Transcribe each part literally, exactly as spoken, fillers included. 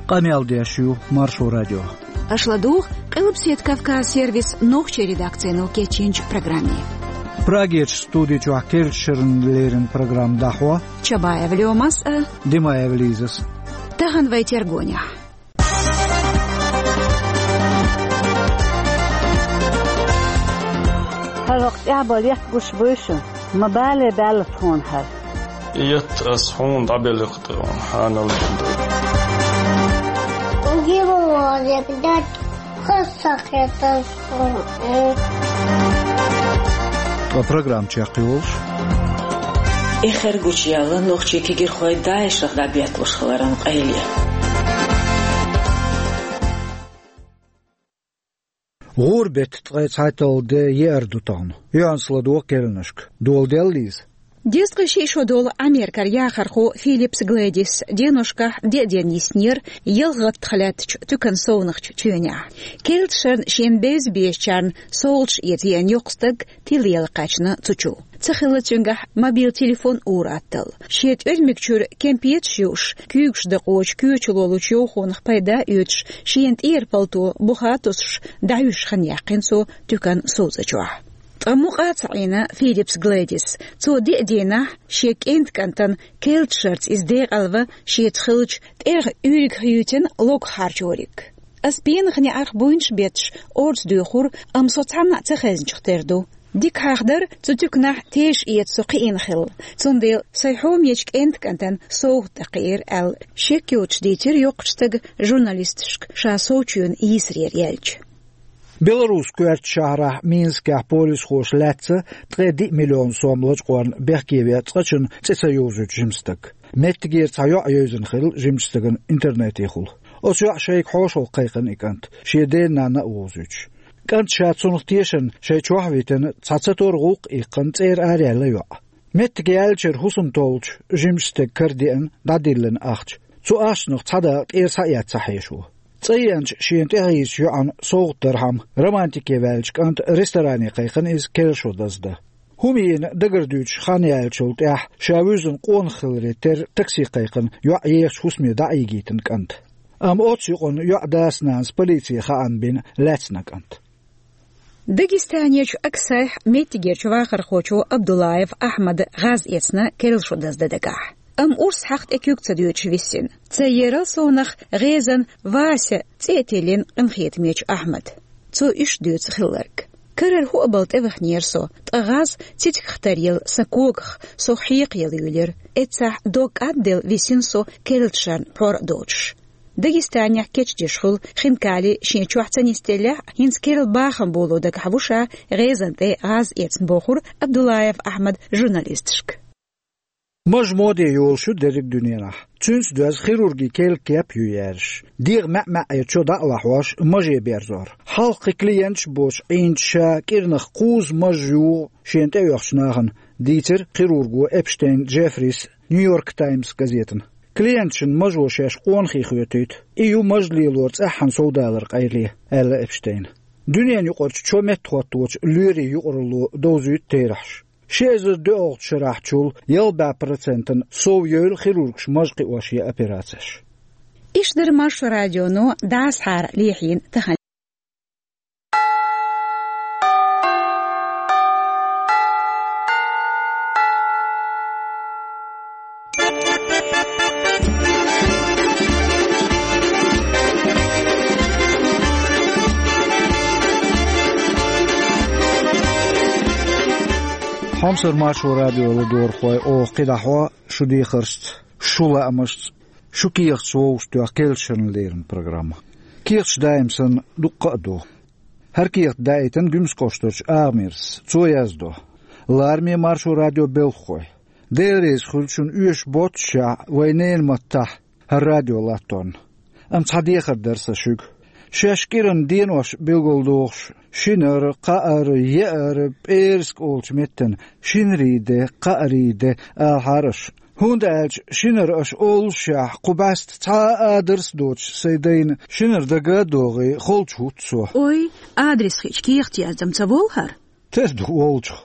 Къамел деш ю Маршо радио. Аша ладугӀу Къилбседа Кавказ сервисан нохчийн редакцино кечйинчу программе. Прагерчу студи чохь керлачу шеран леррина программа дӀахьо Чабаева Лёмас а, Димаева Лизас. Тахана вай тергонехь. ХӀара хӀокху тӀехь бала етта гуш буй шу? Ма бале, баьлла тхуна хӀара. Етта ас хьуна дӀабелла кху тӀе хьанал. Димаева Лизас. Ткъа программа чекхйолуш. Эххар гучуяьлла нохчийн кегийрхой ДАИШах дӀабетталуш хиларан къайле. ГӀуран беттан ткъе цхьайтталгӀа де еара ду тахана. Юьхьанца ладогӀа керланашка. Дола делла иза. Дезткъе шиъ шо долу Америкера яхархо Филлипс Глэдис деношкахь деа ден йиснера ялх гӀаттах лаьттачу туькан совнахчу чоьнехь. Керлачу шарна шена бевза безачарна совгӀаташ эца еана йоккха стаг тилла яла кхаьчна цу чу. Ца хилла цуьнгахь мобил телефон ур-атталла. Шен тӀоьрмиг чуьра кемпеташ юуш, куьйгаш дакъочу коьчалолучу йовхонах пайда а оьцуш, шена тӀера палто буха а тосуш, дӀахьуьжуш хан яьккхина цо туькан совцӀа чохь. Ткъа мукъа а ца Ӏийна Филлипс Глэдис. Цо деа денахь шен кӀентан кӀантана керлачу шарца иза декъалва шеца хиллачу тӀех уьйриг хьуьйтина логах хьарчориг. Ас пенах неӀарх буйнаш бетташ орца доьхура, амма со цхьанна а ца хезначух тера ду. Дика хьахдара, цу туьканахь теша эца со кхиъна хилла, цундела сайн хьомечу кӀентан кӀантана совгӀат дан кхиира аьлла, шек йоцуш дийцира йоккхачу стага журналисташка ша совчоьнан йийсарера яьлча. Белорусскойн коьртачу шахьарахь Минскехь полисхоша лаьцна ткъе диъ миллион сом лачкъорна бехке веа цкъачунна цӀе ца йовзуьйту жима стаг. Меттигера цхьа йоӀ евзина хилла жимачу стагана интернетехула. Оцу йоӀан шайга хьошалгӀа кхайкхина и кӀант, шен ден-нанна а вовзуьйтуш. КӀанта ша цунах тешарна шайн чохь а витина, цхьа ца тора гӀуллакх а иккхина, цӀера араяьлла йоӀ. Меттиг яьллачуьра хӀусам толлучу жимачу стеган кара деана, дӀадиллина ахча. Цу ахчанах цхьа дакъа тӀера схьаэцна ца хьешо. ЦӀа еанчу шена тӀехьийзачу йоӀана совгӀат дархьама романтике ваьллачу кӀанта ресторане кхайкхина иза керла шо даздан. ХӀума йина дагарна дуьйцуш хан яьллачул тӀаьхьа ша вуьззина къонах хиларе терра такси кхайкхина йоӀ ехачу хӀусаме дӀа а йигийтина кӀанта. Амма оццу юкъанна йоӀан дас-нанас полице хаам бина лаьцна кӀант. Дагестанерчу Аксайхь меттигерчу вахархочо Абдуллаев Ахьмада гӀаз эцна керла шо даздан дагахь. Амма урс хьаха тӀе куьг ца доьдуш висина. Церан ерал совнах гӀезан Вася цӀе а тиллина къинхетамечу Ахьмада. Цо иштта дуьйцу хилларг. Карара хӀуъа бала тӀеваханера со, ткъа гӀаз цицигах таръелла сан когах сох хьекха яла юьйлира. Эццахь дог кӀадделла висина со керлачу шарна пхьор а доцуш. Дагестанехь кечдеш хуьлу хинкали шен чохь ца нисделлехь а, хӀинца керла бахам боло дагахь ву ша гӀезан тӀе гӀаз эцна, бохура Абдуллаев Ахьмада журналисташка. Маж моде йолуш ю дерриг дуьненахь. Цуьнца доьзна хирургин керла кеп а ю яьржаш. ДегӀан маьӀ-маьӀӀера чо дӀа а лахьош, маже берзор. Хьалха кхин клиенташ а боцуш Ӏийначу ша кӀиранах кхузза маж югӀу шена тӀеоьхучу нахана, дийцира хирурго Эпштейн Джеффрис Нью-Йорк Таймс газетана. Клиенташна мажо шаьш къонахий хоьтуьйту. И ю маж лелоран цӀеххьана совдаларан къайле, аьлла Эпштейна. Дуьненаюкъарчу чо меттахӀотточу лоьрийн юкъаралло довзуьйту терахьаш. Ши эзар доьалгӀачу шарахьчул ялх бӀе процентана сов йойла хирургаша маж кхиош ян операцеш. Иштта дара Маршо радионо дӀасахьара лехьийна тахана. Хьомсара Маршо радион ладогӀархой, оха кхидӀа хьо шу дехаршца, шу лаамашца, шу кехаташ вовшахтоьху керлачу шеран леррина программа. Кехаташ даим санна дуккха а ду. ХӀара кехат даийтина Гуьмсан кӀоштарчу Агамирас. Цо яздо: «Лараме Маршо радион белхахой. Дела реза хуьлда шуна оьшуш боццушехь вайн ненан маттахь хӀара радио латторна. Амма цхьа дехар дара сан шуьга. Шаьш кӀиранан денош билгалдохуш, шинара, кхаара, еара, пӀераска олучу меттана шинарийн де, кхаарийн де алахьара аша. ХӀунда аьлча шинара аша оллушехь, кху бӀаьста цхьа а адрес а доцуш сайн дайна шинара дага а догӀий, холчу хӀутту со». Ой, адрес хиъча кехат яздам ца волу хӀара? Тера ду волчух.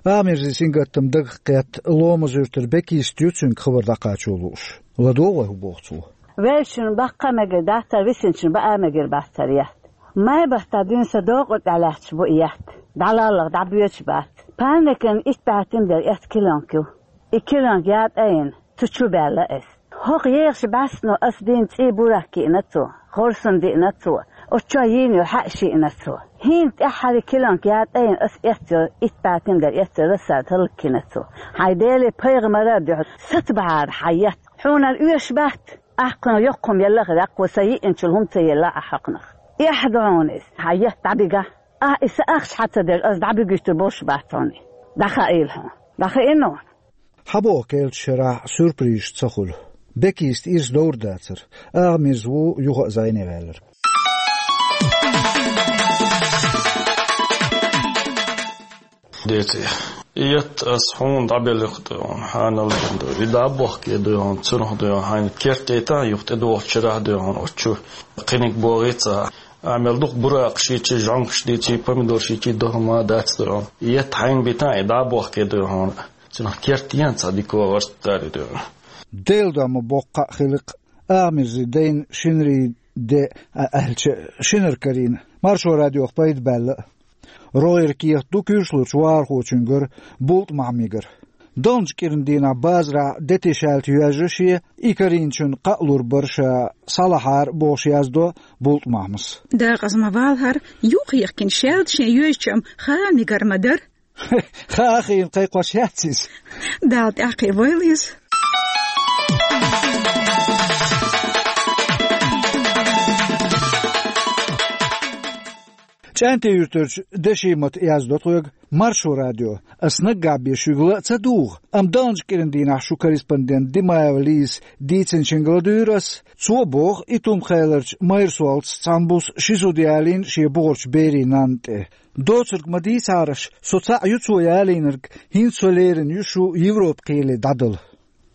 Агамирзин сингаттам дагах кхетта, Ломан-Юьртара Бекиста ю цуьнга хабар дӀакхачо лууш. ЛадогӀа вай хӀун боху цо. Веллачун баккха мегар дац, висначун баа мегар бац хӀара етт. Май баттахь дуьйна сан докъа тӀехь лаьтташ бу и етт. ДӀалаллах дӀабоьдуш бац. Панникан итт бӀе тиндер эцна килонка ю. И килонка ятӀа а йина, цу чу баьлла ас. ХӀокху ехаш бӀаьстано ас дийна цӀий бурак йиъна цо, хорсун диъна цо, оцу чохь йийна йолу хьаъ шиъна цо. ХӀинца тӀаьххьара килонка ятӀа а йина ас эцна йолу, итт бӀе тиндер эцна йолу рассада хӀаллакйина цо. Хьайн Деле, пайхамара а дуьхьал, сацабахьара хьан етт. Хьуна оьшуш бац, ахь кхунах йоккха хӀума елла а хир, кхо сан йиъначул хӀума ца елла ахь хӀокхунах. Эхь ду хьуна иза, хьан етт дӀабигахь. Ахь и сан ахча хьан ца дерг ас дӀабигуьйтур болуш бац хьуна. ДӀахаийла хьуна. ДӀахаийна хьуна? Хьан боху, керлачу шарахь сюрпризаш ца хуьлу? Бекиста ирс довр дацара. Агӏа-Мирза ву юха а зӀене ваьлларг. Деций. И етт ас хьуна дӀабелларг ду хьуна, хьанал ду. И дӀа а бохке ду хьуна, цунах ду хьуна, хьайна керт тӀетан, юха тӀедогӀучу шарахь ду хьуна, оцу чу кхиниг богӀий ца. Амел дукха буракаш йичи, жӀонгаш дийци, помидораш йичи, дохма дац ду хьуна. И етт хьайна битан, и дӀа а бохке ду хьуна. Цунах керт ян цхьа дика варст дари ду хьуна. Делан дом ма боккха а хиликх, Агӏа-Мирзин дайна шинарин де а аьлча, шинара карийна. Маршо радиох пайда баьлла. РогӀера кехат ду куьйршлучу вахархочуьнгара, БултӀа-Махьмигара. Далначу кӀиран дийнахь базарахь детишаьлта йоьжна шен, и карийначунна кхаъ лур бара ша, схьалахьара бохуш яздо БултӀа-Махьмас. Дакъаза ма валахьара, юххехкина шаьлта шен йоьжначу-м Хаа-Мигара ма дара. Хаа хиъна кхайкхош яц иза. Дала тӀаьхьакхиа войла иза. ЧӀаьнтан-Юьртарчу Дешимата яздо тхоьга, Маршо радио. Ас наггахь бен шуьга ла а ца дугӀу, амма далначу кӀиран дийнахь шун корреспондент Димаева Лизас дийцинчуьнга ладуьйра ас. Цо боху, Итум-Хеларчу Майрсолтас цхьана буса ши зуда ялийна шен бухарчу берийн нанна тӀе. Доцург ма дийцахьара аш, со цхьаъ ю цо ялийнарг, хӀинца со лерина ю шу Европа кхеле дӀадала.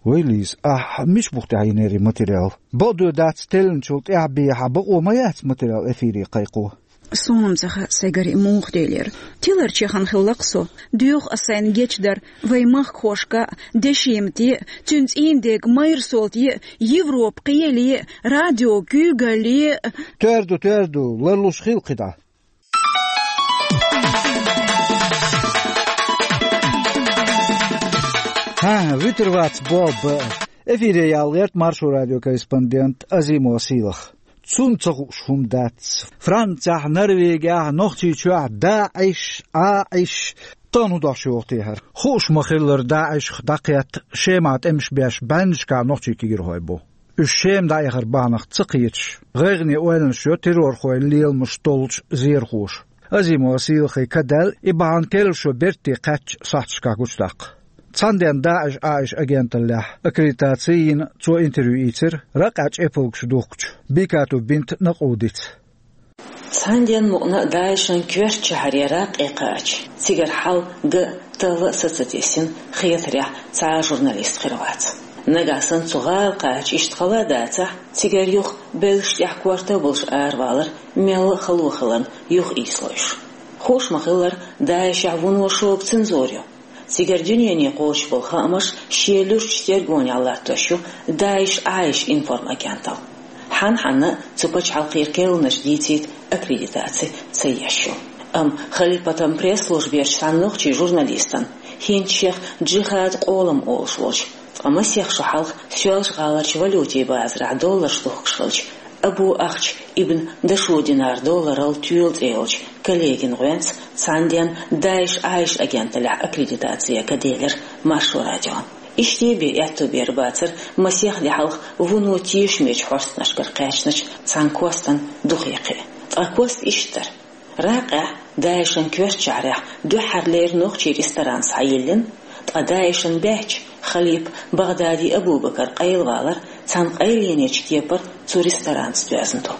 Вай, Лиза, ахь мича бух тӀехь йинера и материал? Бакъдоь дац, теллинчул тӀаьхьа бен хьан бакъо ма яц материал эфире кхайкхо. Суна-м ца хаьа, сайгара и муха делира. Тиларчехан хилла-кх со. Доьху ас сайна гечдар вайн махкахошка а, Дешимате а, цуьнан цӀийнан дега Майрсолте а, Европа кхеле а, радио куьйгалле а. Тоьар ду, тоьар ду, ларлуш хила кхидӀа. ХӀан, вуьтур вац боху баа. Эфире яла гӀерта Маршо радион корреспондент Азимова Сийлаха. Цунна ца хууш хӀума дац. Францехь, Норвегехь, Нохчийчохь ДАИШ, ӀАИШ, тахана хӀун дош йоху те хӀара? Хууш ма-хиллара, ДАИШах дӀакхетта Шемахь тӀемаш беш бӀеннашкахь нохчийн кегийрхой бу. Уьш Шема дӀаэхар бахьанах ца кхеташ, гӀайгӀане ойланаш йо террорхойн леламаш толлучу зерхоша. Азимова Сийлахе ка даьлла и бахьана керлачо бертте кхаьчча сахьташкахь гучудаккха. Цхьана денна ДАИШ, ӀАИШ агенталлехь аккредитаци йина цо интервью ийцира ракъехь чӀепалгаш духкучу Бикату бинт Накъудица. Цхьана денна мукъана а ДАИШан коьртачу шахьаре ракъе кхача, цигара хьал ган а, талла а са ца тесна, хетарехь цхьа а журналист хир вац. Нагахь санна цу гӀала кхача иштта хала а дацахь, цигара юха белшаш тӀехь корта а болуш аравалар мелла а хало хиларна юха ийсалойш. Хууш ма-хиллара, ДАИШехь вуно шога цензура ю. Цигара дуьнене кхочуш болу хаамаш шен луьрачу тергонехь латтош ю ДАИШ, ӀАИШ информагенталла. Хьан-хьанна а цу пачхьалкхера керланаш дийцийта аккредитаци ца еш ю. Амма халипатан пресс-служберчу цхьана нохчийн журналистана, хӀинца шех Джихад-къолам олуш волчу, ткъа масех шо хьалха Соьлжа-ГӀаларчу валютийн базарахь долларш духкуш хилча, Абу Ахч ибн Дашудинар долларал тоьла цӀе йолчу коллегин гӀоьнца цхьана денна ДАИШ, ӀАИШ агенталлехь аккредитаци ка делира Маршо радион. Иштта бен аьтту бер бацара масех де хьалха вуно тешамечу хьостанашкара кхаьчначу цхьана костан духе кхиа. Ткъа кост иштта дара. Ракъехь, ДАИШан коьртачу шахьарехь дуьххьарлера нохчийн ресторан схьайиллина, ткъа ДАИШан баьчча, халипа БагӀдади Абу-Бакар къайлавалар цхьана къайленечу кепара цу ресторанца доьзна ду.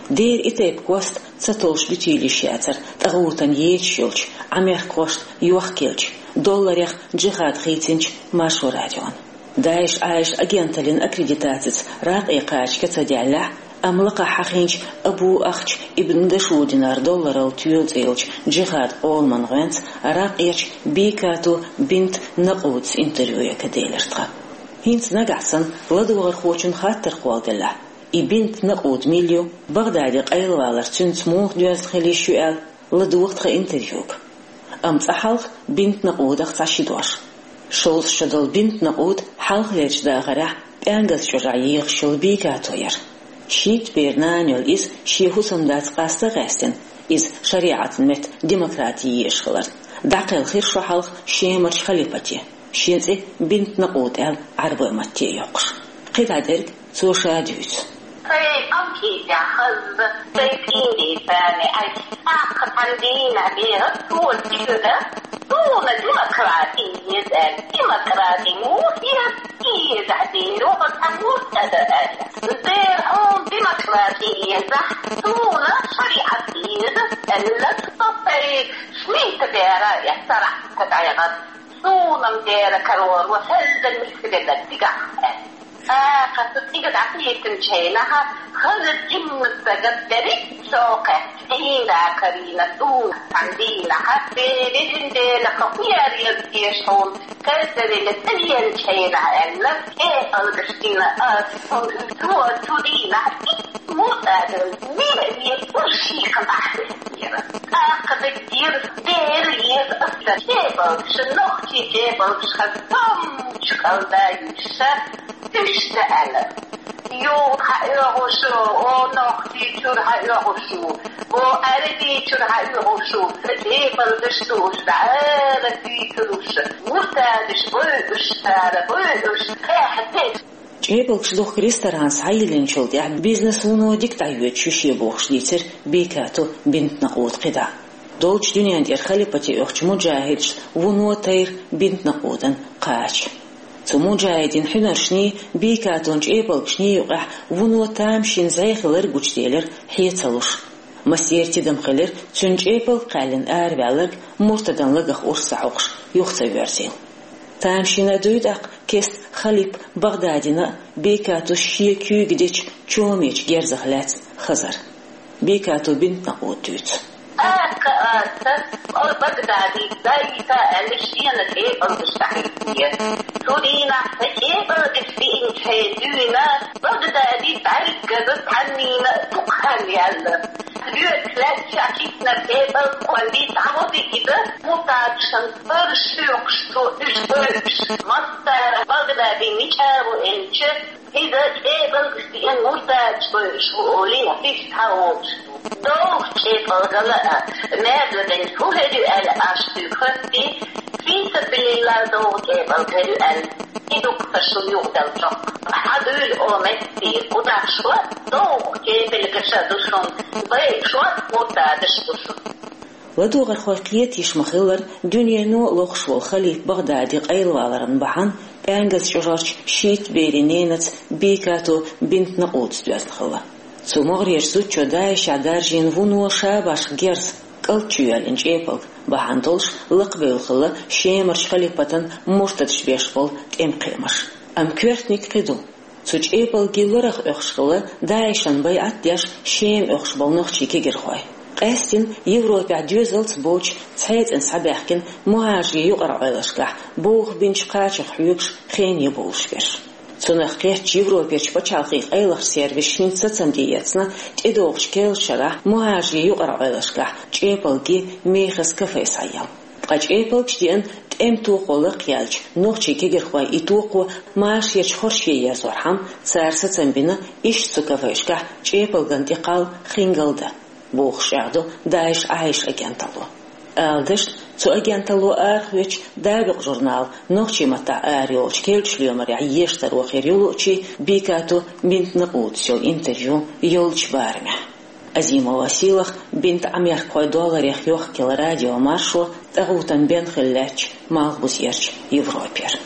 Дера и тайпа кост ца толлуш дуьтийла йиш яцара тӀагӀутан ечаш йолчу Ӏамеркахошна йохкаелча, долларех Джихад хийцинчу Маршо радиона. ДАИШ, ӀАИШ агенталлин аккредитацица ракъе кхача ка ца даьллехь, амма лакхахь хьахийначу Абу Ахч ибн Дашудинар долларал тоьла цӀе йолчу Джихад-къоламан гӀоьнца ракъерчу Бикату бинт Накъудас интервью ка делира тхан. ХӀинца нагахь санна ладогӀархочун хаттар кхолладеллехь, И Бинт Накъуд мила ю, Багъдаде къайлавалар цуьнца муха доьзна хила йиш ю аьлла, ладугӀу тхан интервьюга. Амма цкъа хьалха Бинт Накъудах цхьа ши дош. Шовзткъа шо долу Бинт Накъуд хьалхалерчу дахарехь ПӀаьнгаза чӀожахь ехаш йолу Бекато яра. Шийтта бер нана йолу иза шен хӀусамдаца къаста а гӀаьстина, иза шариӀатан метта демократи езаш хиларна, дӀакхелхира шо хьалха Шемарчу халипате, шен цӀе Бинт Накъуд аьлла Ӏарбойн матте йоккхуш. КхидӀа дерг цо ша дуьйцу. Сайн къамкъийца хаза, сайн цӀийнан цӀарна айса, тӀаккха цхьана дийнахь беха, цо чуьра, суна демократи еза аьлла, демократи муха еза, и езахь дера, оха цхьа муха ца дан аьлла. Дера хьуна демократи езахь, суна шариӀат еза аьлла, со сайн шийтта бер а эцна, царахь ца дӀайгӀан. Суна-м дера карор ву, хӀаллак миска велла цигахь аьлла. ТӀаккха цу цӀийга дӀакхийтинчу хенахь, хаза жимма стага дерриг а шокхе, цӀийнда карийна суна цхьана дийнахь, бе везин Дела, хӀокху яр еза теша хьуна, кайза велла цӀа веанчу хенахь аьлла, кӀепалгаш дина аса, хӀунда аьлча цо цу дийнахь мурд адам мила веза, уьш шийхан бахьана. ТӀаккха даггера дера еза аса, кӀепалгаш, нохчийн кӀепалгаш хаза томчу кӀалда юьйша, уьш ца аьлла. Юха хьан оьгӀуш, о, нохчий чуьра хьан оьгӀуш ву, о, Ӏаьрбий чуьра хьан оьгӀуш ву, сан кӀепалгаш ду уьш, дӀа ара дуьйцур уьш, муртадаш бой уьш, цара бой уьш, кхехьа дерг. ЧӀепалгаш духку ресторан схьайиллинчул тӀаьхьа бизнес вуно дика дӀайоьдуш ю шен бохуш дийцира Бекато Бинт Накъуда кхидӀа. Долчу дуьнен тӀера халипате оьхучу муджахӀидашна вуно тайра Бинт Накъудан кхача. Цу муджахӀидийн хьуьнаршний, Бекатон чӀепалгашний юкъахь вуно тамашийна зӀе хилар гучуделира хье ца луш. Массеран тидам хилира цуьнан чӀепалг кхаьллина араваьлларг муртадан лагах урс ца хьокхуш юха ца воьрзийла. Тамашийна дуй тӀаккха кеста халипа Багъдадина а, Бекатос шен куьйга дечу чомечу герзах лаьцна хазар. Бекато Бинт Накъуда дуьйцу. ТӀаккха аса, о, Багъдади, дайта аьлла, шена кӀепалгаш дӀахӀиттинера. Цу дийнахь сан кӀепалгаш диъначу хенахь дуьйна, Багъдади бӀаьргаза цхьаннийна дукха хан яьлла. Лоьцуш лаьтташ кхийтинарг кӀепалг кхоллий, дӀавади иза, муртадашна бараш хьоькхуш цо уьш бойуш. Массара Багъдади мича ву элча, иза кӀепалгаш диъна муртадаш бойуш ву олий, иштта хьан волуш ду. Довха кӀепалгала а, маьрзабелла хӀун хир ю аьлла, аш дуьйху хӀоьттий, фи сабилиллахӀ довха кӀепалг хир ю аьлла, и дуккха шун юкъаделла чӀогӀа. Хьан дуьйла о меттий, кхузахь шо довха кепалгаша ду шун, бай шо муртадаш ду шун. ЛадогӀархой кхетийша ма-хиллара, дуьнено а лохуш волу халифа Багъдади къайлаваларан бахьана пӀаьнгаза чӀожарчу шийтта берийн ненаца Бекато Бинт Накъудас доьзна хилла. Цу могӀарерчу зудчо ДАИШехь даржийна вуно шабашха герз, кӀалт чу йоьллина чӀепалг бахьана долуш лакхабевлла хилла Шемарчу халипатан муртадаш беш болу тӀемакхиамаш. Амма коьртаниг кхин ду. Цу чӀепалгий ларах оьхуш хилла ДАИШан байӀат деш Шема оьхуш болу нохчийн кегирхой. Къаьстина Европехь доьзалца боцуш цхьаьна схьабаьхкина мухӀажарийн юкъара Ӏойлашкахь бовха бинчу кхачах хьоьгуш хене бовлуш берш. Цунах кхеттачу Европерчу пачхьалкхийн къайлахчу сервисаша хӀинца сацам тӀеэцна, тӀедогӀучу керлачу шарахь мухӀажарийн юкъара Ӏойлашкахь чӀепалгий мехаза кафе схьаелла. Ткъа чӀепалгаш диъна тӀеман тохо лакхъяьлча, нохчийн кегирхойн и тохо машарерчу хорше ерзорхьама, цара сацам бина иштта цу кафешкахь чӀепалгана тӀекхалла хингал дан, бохуш чӀагӀдо ДАИШ Ӏайша агенталло. Ала дашна, цу агенталло арахоьцучу «Дабикъ» журнала нохчийн маттахь арайолчу керлачу лоьмарехь ешан таро хир ю луучу Бекато Бинт Накъудас йолу интервью йолчу барамехь. Азимова Сийлаха, Бинт Ӏамеркахой долларех йохкелла радио маршо, тӀагӀутан бен хилла лаьттачу Малхбузерчу Европера.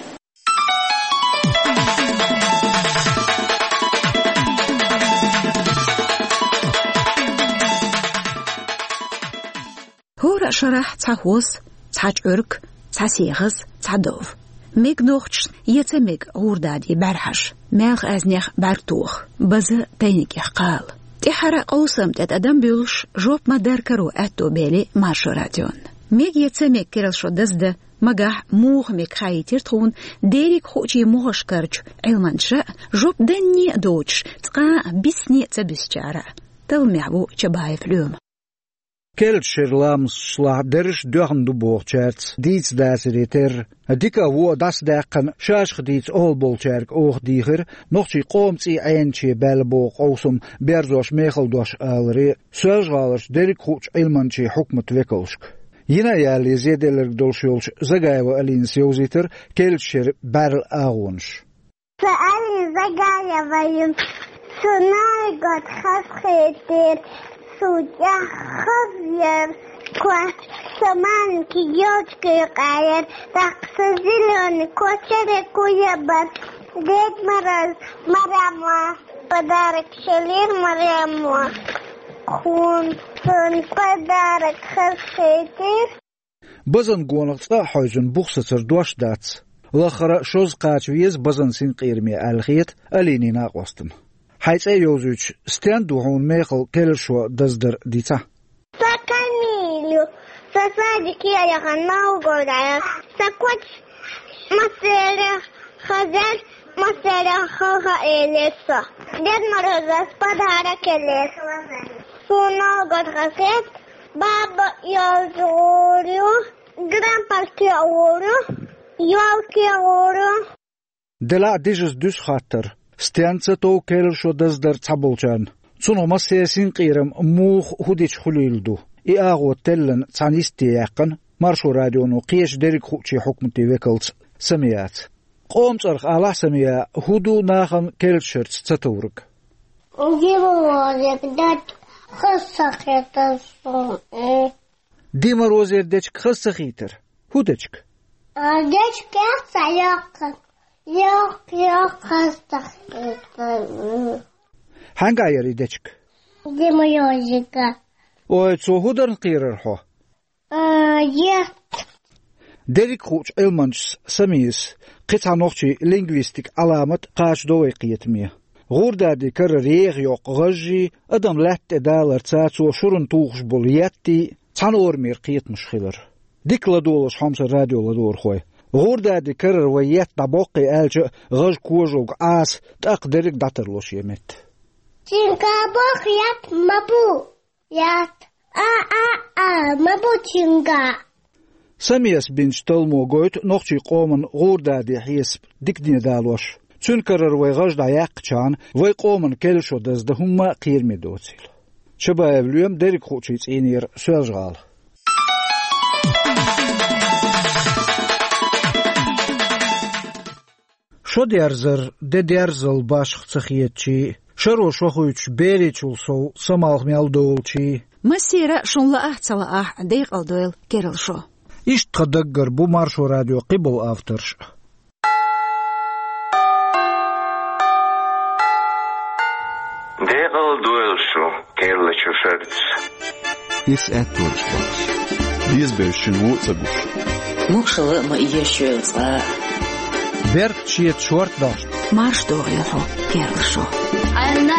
ХӀора а шарахь цхьа хӀоз, цхьа чкъург, цхьа сехаз, цхьа дов. Мега нохчашна, я ца мега гӀурдадий бӀаьрхьаш, маьлха аьзнех бӀаьрг тоха, база тайнигех кхала. ТӀаьххьара къовсам тӀе тӀадам буьллуш, жоп ма-дарра каро аьтто бели Маршо радион. Мега я ца мега керла шо даздан, Магахь муха мега хаийтира тхуна дерриг хуучийн могӀаршкарчу Ӏилманчаша а, жоп данне а доцуш, цкъа а бисне а ца буьсучара а. Талламехь ву Чабаев Лоьма. Керлачу шеран ламасташлахь дерриш а доьхна ду бохучаьрца дийца дацаре терра, дика а, вон а дӀасадаьккхина, шаьшшиъ дийца охьаболчаьрга оха дийхира нохчийн къоман цӀий Ӏенаш баьлла боху къовсам берзош мехала дош аларе Соьлжа-ГӀаларчу дерриг хуучу Ӏилманчийн хьукматан векалшка. Йина а ялале зеделларг долуш йолчу Загаева Алинас йовзийтира керлачу шеран бӀаьрла агӀонаш. Сан Алина Загаева ю, со ноль год хазахетира, со тӀехь хаза яра кхо, со маленький ёлочка юкъа яра, тӀаккха со зелёный кочере куябара, Дед Мороз Марема подарок шелира Марема. Кхунна цунна подарок хазахетира. Базан гонах цкъа а хьаьвзина бух сацар дош дац. Лаххара а шозза кхача веза базан синкъераме аьлла хета Алинин накъостана. Хьайн цӀе йовзуьйтуш, стенна ду хьуна мехала керлашо даздар дийцахь? Сан Камиль ю, сан садике яхана Новгороде. Сан коча массеран хаза яра, массеран хала хьаэлира со. Дед Морозас подарок елира. Суна Новгород хазахета, баба йолчу гӀур ю, грампалке гӀур ю, ёлке гӀур ю. Делахь а дижаза дуьсу хаттар: стенна ца тов керлашо даздар цхьаболчарна? Цунах массеран синкъерам муха, хӀун дича хуьлийла ду? И агӀо теллина цхьана йисте яьккхина Маршо радионо кхечу дерриг хуучийн хьукматийн векалца Самияца. Къоман цӀарах алахь, Самия, хӀун ду нахана керлачу шерца ца товриг? Дед Морозера дечка хаза ца хетара суна. Дед Морозера дечка хаза ца хийтара? ХӀун дечка? А, дечка яц а йоккха. Йоккха, йоккха хаза ца хетара. Хьаьнгахь яра и дечка? Дед Морозера. Ой, цо хӀун дарна кхерара хьо? А, ет. Дерриг хуучу Ӏилманчас Самияс кхин цхьа нохчийн лингвистикан Ӏаламат кхачадо вай кхетаме. ГӀурдади карара еха йоккху гӀажжий, адам лаьтта тӀе даларца цо шуран тухуш болу еттий цхьана орамера кхетамаш хилар. Дика ладогӀалаш, хьомсара радио ладогӀархой. ГӀурдади карара вай етт дӀабоккхий аьлча а, гӀажа кожалг Ӏаса, тӀаккха дерриг а дӀатарло шен метта. Цуьнга боху етт ма бу. Етт. А, а, а, ма бу цуьнга. Самияс бинчу талламо гойту нохчийн къоман гӀурдади хьесап дикане далош. Цуьнан карара вай гӀажа дӀаяккхачхьана, вай къоман керлашо даздан хӀумма а кхераме доцийла. Чабаев Лоьма, дерриг хуучийн цӀийнера, Соьлжа-ГӀала. Шо дерзар, де дерзал башха ца хетачий, шаро шо хуьйцуш беричул сов самалх мел долчий. Массера а шуна лаахь а, ца лаахь а, декъала дойла керла шо. Иштта тхан даггара бу Маршо радион кхиболу авторш. Декъала дойла шу керлачу шерца. Иза аьтто ца бохуш, безабевлла шуна вон а ца гуш. Могушалла а ма эшайойла цкъа а. Беркат шеца шорта дошна. Марша догӀийла хьо, керла шо. Анна